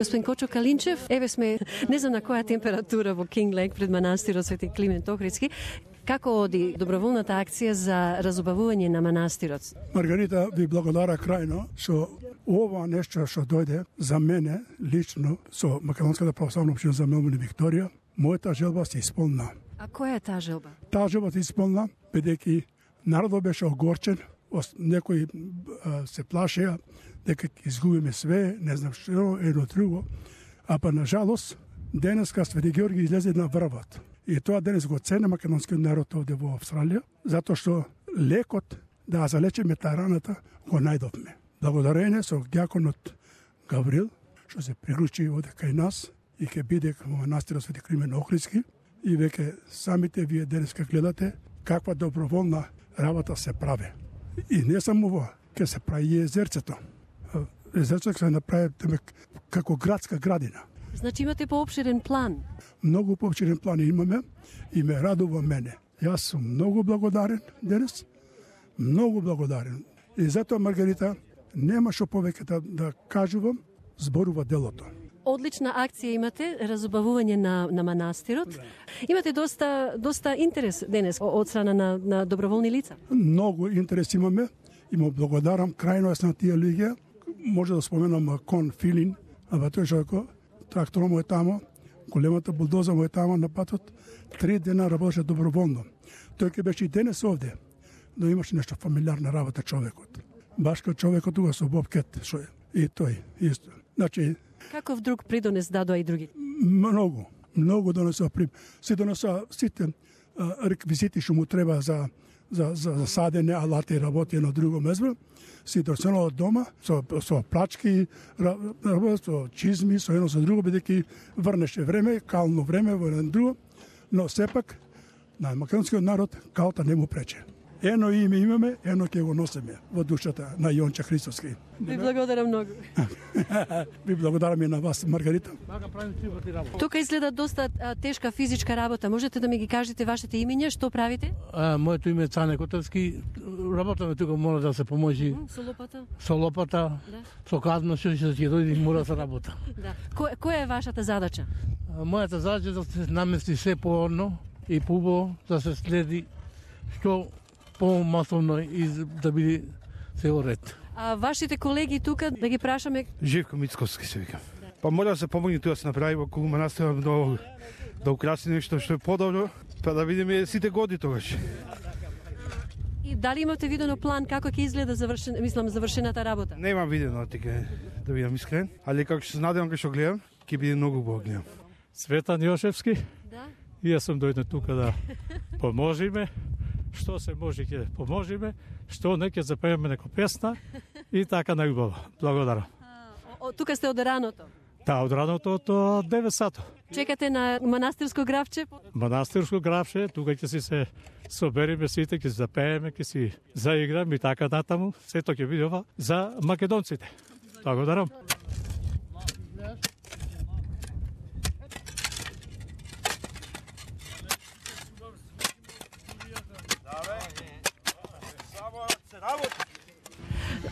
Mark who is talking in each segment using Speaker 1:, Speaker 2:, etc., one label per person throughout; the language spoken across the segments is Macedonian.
Speaker 1: Господин Кочо Калинчев, еве сме, не знам на која температура во Кинг Лејк пред манастирот Свети Климент Охридски. Како оди доброволната акција за разубавување на манастирот?
Speaker 2: Маргарита, ви благодаря крајно што ова нешто што дојде за мене лично со Македонската православна општина за Мелбурн и Викторија, мојата желба се исполна.
Speaker 1: А која е таа желба?
Speaker 2: Таа желба се исполна, бидејќи народот беше огорчен, некои се плашеа дека изгубиме све, не знам што, едно друго, а па на жалост денеска Свети Георги излезе на врвот. И тоа денес го цени македонскиот народ овде во Австралија, затоа што лекот да залечиме таа раната го најдовме. Благодарение со дјаконот Гаврил, што се приклучи овде кај нас и ќе биде во манастирот Свети Климент Охридски, и веќе самите вие денеска гледате каква доброволна работа се прави. И не само ова, ќе се прави и езерцето. Езерцето ќе се направи како градска градина.
Speaker 1: Значи имате поопширен план?
Speaker 2: Многу поопширен план имаме и ме радува мене. Јас сум многу благодарен денес, многу благодарен. И затоа, Маргарита, нема што повеќе да кажувам, зборува делото.
Speaker 1: Одлична акција имате, разубавување на манастирот. Да. Имате доста интерес денес од страна на доброволни лица.
Speaker 2: Многу интерес имаме и му благодарам крајно на тие луѓе. Може да споменам Кон Филин, а тој што тракторот му е тамо, големата булдоза му е тамо на патот, 3 дена работеше доброволно. Тој ќе беше и денес овде, но имаше нешто фамилиарна работа човекот. Баш кај човекот тука со бобкет, што е. И тој исто. Значи,
Speaker 1: каков друг придонес дадоа и други?
Speaker 2: Многу донесоа се донесоа сите реквизити што му треба за садење, алати и работи на друго место, си донесоа од дома со плачки, со чизми, со едно со друго, бидејќи врнеше време, кално време во едно друго, но сепак на македонскиот народ калта не му прече. Ено име имаме, ено ќе го носиме во душата на Јонче Христовски.
Speaker 1: Ви благодарам многу.
Speaker 2: Ви благодарам и на вас, Маргарита.
Speaker 1: Тука изгледа доста тешка физичка работа. Можете да ми ги кажете вашите имиња, што правите?
Speaker 3: Моето име е Цане Котевски. Работаме тука, мора да се поможи.
Speaker 1: Со лопата?
Speaker 3: Со лопата, да. Со казно што ќе дојде, мора да се работа.
Speaker 1: Да. Која е вашата задача?
Speaker 3: Мојата задача е да се намести се поорно и пубо, да се следи што по-масовно и да биде се ред.
Speaker 1: А вашите колеги тука, да ги прашаме?
Speaker 4: Живко Мицковски се викам. Па мора да се помогне тоа да се направи околу манастирот да украси нешто што е подобро, па да видиме сите годи тогаш.
Speaker 1: И дали имате видено план како ќе изгледа завршената работа?
Speaker 4: Немам видено тика да бидам искрен, али како што се надевам кога што гледам, ќе биде многу убаво гледам.
Speaker 5: Цветан Јошевски.
Speaker 1: Да.
Speaker 5: И јас сум дојден тука да поможиме. Што се може ќе поможиме, што не ќе запееме неко песна и така најубаво. Благодарам.
Speaker 1: Тука сте од раното?
Speaker 5: Да, од раното од 9 сато.
Speaker 1: Чекате на манастирско гравче?
Speaker 5: Манастирско гравче, тука ќе си се собериме сите, ќе се запееме, ќе си заиграме и така натаму. Сето ќе биде ова за македонците. Благодарам.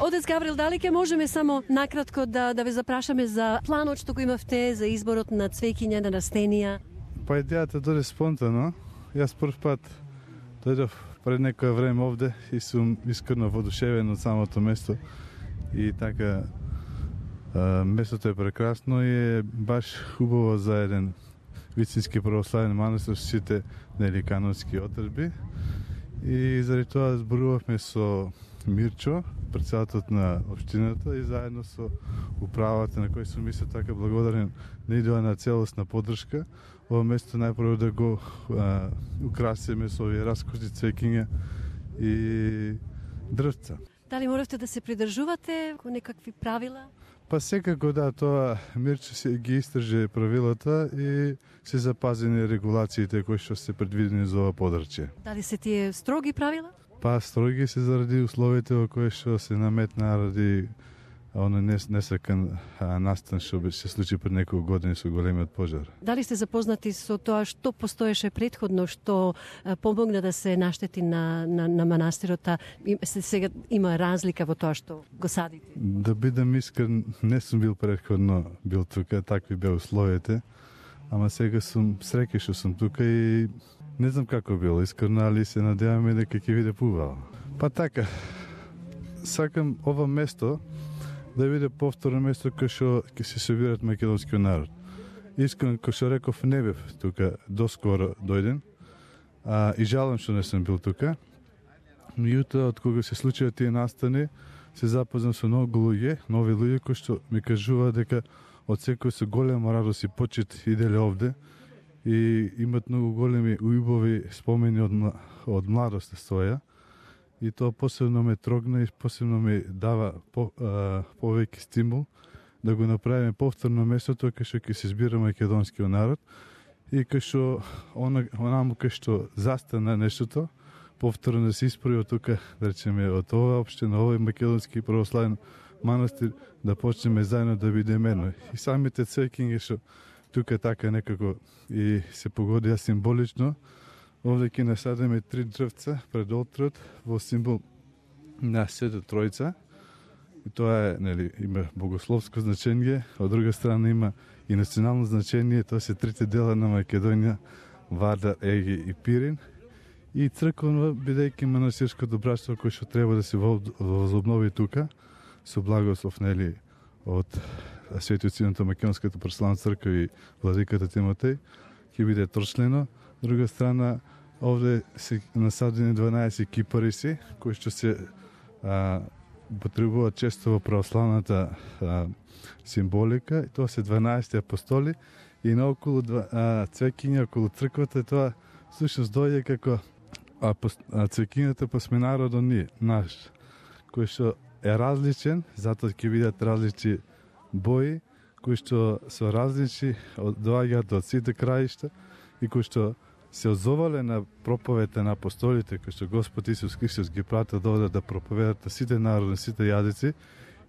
Speaker 1: Отец Гаврил, дали ќе можеме само накратко да ве запрашаме за планот што го имавте за изборот на цвеќиња на растенија?
Speaker 6: Па идејата дојде спонтано. Јас прв пат дојдов пред некој време овде и сум искрено воодушевен од самото место. И така местото е прекрасно и е баш хубаво за еден вистински православен манастир со сите канонски одржби. И заради тоа зборувавме со Мирчо, председателот на општината и заедно со управата на кој сум исто така благодарен на идеја на целосна поддршка. Ова место најпрво да го украсиме со овие раскошни цвеќиња и дрвца.
Speaker 1: Дали моравте да се придржувате кон некакви правила?
Speaker 6: Па секако да, тоа Мирчо се ги истрже правилата и се запазени регулациите кои што се предвидени за ова подрачје.
Speaker 1: Дали се тие строги правила?
Speaker 6: Па строги се заради условите во кои што се наметна ради оно несакан настан што се случи пред неколку години со големиот пожар.
Speaker 1: Дали сте запознати со тоа што постоеше претходно, што помогна да се наштети на манастирот, сега има разлика во тоа што го садите?
Speaker 6: Да бидам искрен, не сум бил претходно бил тука, такви беа условите, ама сега сум среќен што сум тука и не знам како било, искрено, али се надеваме дека ќе биде пувало. Па така, сакам ова место да биде повторно место кај што ќе се собират македонскиот народ. Искрено, кој што реков, не бев тука доскоро дојден, и жалам што не сум бил тука. Меѓутоа, од кога се случија тие настани, се запознам со многу луѓе, нови луѓе кои што ми кажуваат дека од секој со голема радост и почит иделе овде и имат многу големи ујубови спомени од младост своја. И тоа посебно ме трогна и посебно ми дава повеќе стимул да го направиме повторно местото кај што ќе се збира македонскиот народ и кај што онаму кај што застана нештото, повторно да се исправи од тука, да речеме, од ова општина, овој македонски православен манастир, да почнеме заедно да бидеме едно. И самите цвеќиња што тука така некако и се погодија символично. Овде ќе насадиме 3 дрвца пред олтрот во символ на Света Тројца. И тоа има богословско значење, од друга страна има и национално значење, тоа се трите дела на Македонија, Вардар, Еги и Пирин. И црковно, бидејќи манастирското братство кој што треба да се возобнови тука, со благослов од Светиот Синод на Македонската православна црква и владиката Тимотеј, ќе биде трочлено. Друга страна, овде се насадени 12 кипариси, кои што се потребуваат често во православната символика. И тоа се 12 апостоли и наоколу цвеќиња околу црквата. Тоа всушност дојде како цвеќињата па сме народот наш, кој што е различен, затоа ќе бидат различни бои, кои што се различни, доаѓаат од сите краишта и кои што се озовале на проповедите на апостолите, кои што Господ Исус Христос ги прати да проповедат на сите народи, сите јазици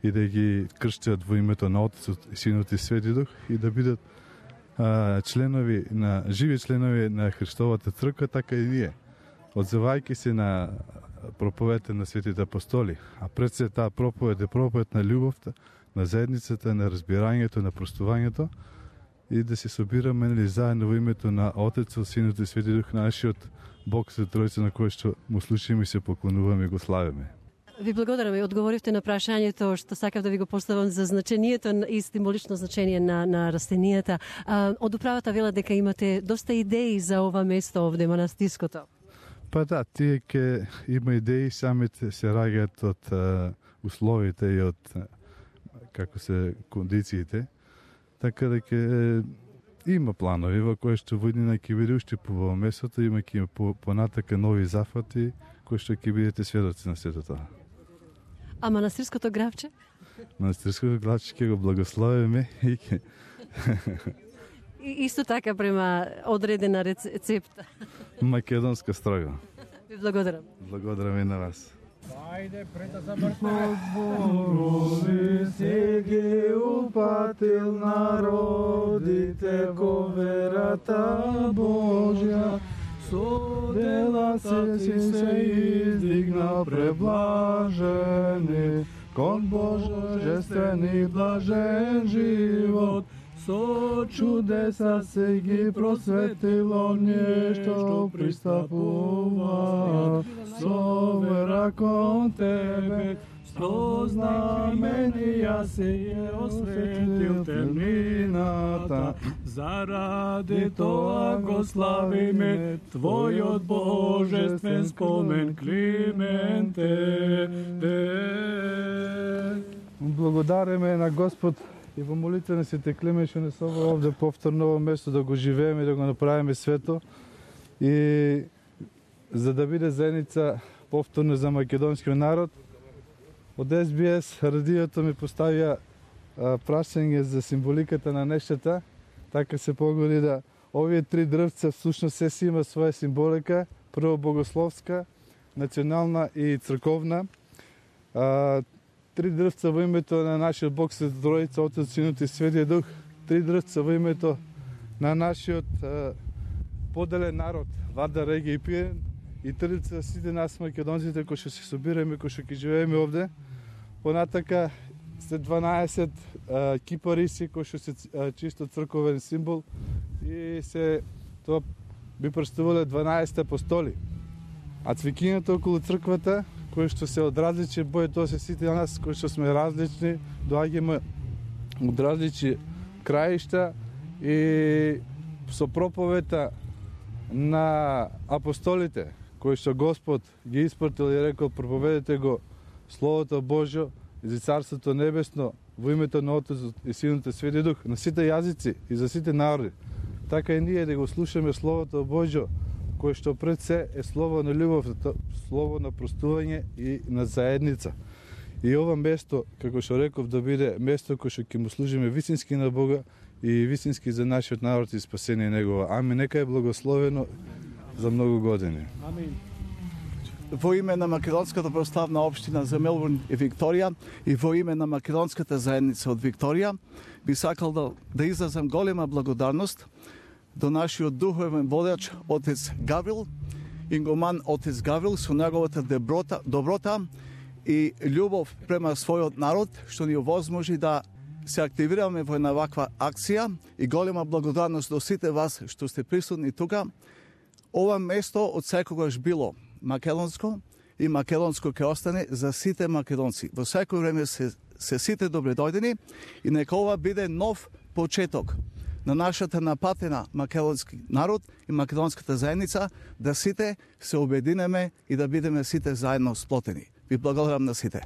Speaker 6: и да ги крштат во името на Отецот, Синот и Свети Дух и да бидат живи членови на Христовата црква, така и ние. Одзивајќи се на проповедите на светите апостоли, а пред се таа проповед е проповед на љубовта, на заедницата, на разбирањето, на простувањето и да се собираме заедно во името на Отецот, Синот и Свети Дух, нашиот Бог Свет Тројца, на кој што му слушаме и се поклонуваме и го славиме.
Speaker 1: Ви благодарам и одговоривте на прашањето што сакав да ви го поставам за значењето и символично значење на растенијата. Од управата вела дека имате доста идеи за ова место овде, манастирското.
Speaker 6: Па да, тие ке има идеи, самите се раѓаат од условите и од кондициите. Така да ке има планови во кои што водина ќе биде уште по местото, има ќе понатака нови зафати кои што ќе бидете сведоци на сето тоа.
Speaker 1: А манастирското гравче?
Speaker 6: Манастирското гравче ќе го благословиме и ќе...
Speaker 1: Исто така према одредена рецепта.
Speaker 6: Македонска строго.
Speaker 1: Ви благодарам.
Speaker 6: Благодарам и на вас.
Speaker 7: Ајде, прета за Борови се ги упатил народите ко верата Божја. Со дела се издигна преблажени, кон божествен и блажен живот. Со чудеса се ги просветило нешто пристапува. Со вера кон тебе, со знаменија се е осветил темнината. Заради тоа го славиме Твојот божествен спомен, Клименте. Благодариме на Господ и во молитва на Свети Климент што не се овде повторно ово место да го живееме и да го направиме свето и за да биде заедница повторно за македонскиот народ. Од SBS радиото ми поставија прашање за символиката на нештата. Така се погоди да овие 3 дрвца всушност се си има своја символика, прво богословска, национална и црковна. 3 дрвца во името на нашиот Бог се Троица, Отец, Синот и Светиот Дух, 3 дрвца во името на нашиот поделен народ, Вардар, Реги и Пирен, и 3 дрвца сите нас македонците кои што се собираме, кои што ќе живееме овде. Понатака се 12 кипариси кои што се чисто црковен символ и се тоа би представувале 12 апостоли. А цвикињата околу црквата, кои што се од различни бои, тоа се сите нас кои што сме различни, доаѓаме од различни краишта и со проповета на апостолите, кои што Господ ги испратил и рекол, проповедете го Словото Божјо за Царството Небесно во името на Отецот и Синот и Светиот Дух на сите јазици и за сите народи. Така и ние да го слушаме Словото Божјо, кое што пред се е слово на љубов, слово на простување и на заедница. И ова место, како што реков, да биде место кое што ќе му служиме вистински на Бога и вистински за нашиот народ и спасение негова. Амин. Нека е благословено за многу години.
Speaker 8: Амин. Во име на Македонската православна општина за Мелбурн и Викторија и во име на Македонската заедница од Викторија, би сакал да изразам голема благодарност до нашиот духовен водач Отец Гаврил, игуман Отец Гаврил, со неговата доброта и љубов према својот народ, што ни овозможи да се активираме во една ваква акција, и голема благодарност до сите вас што сте присутни тука. Ова место од секогаш било македонско и македонско ќе остане за сите македонци. Во секој време се сите добредојдени и нека ова биде нов почеток на нашата напатена македонски народ и македонската заедница, да сите се обединеме и да бидеме сите заедно сплотени. Ви благодарам на сите.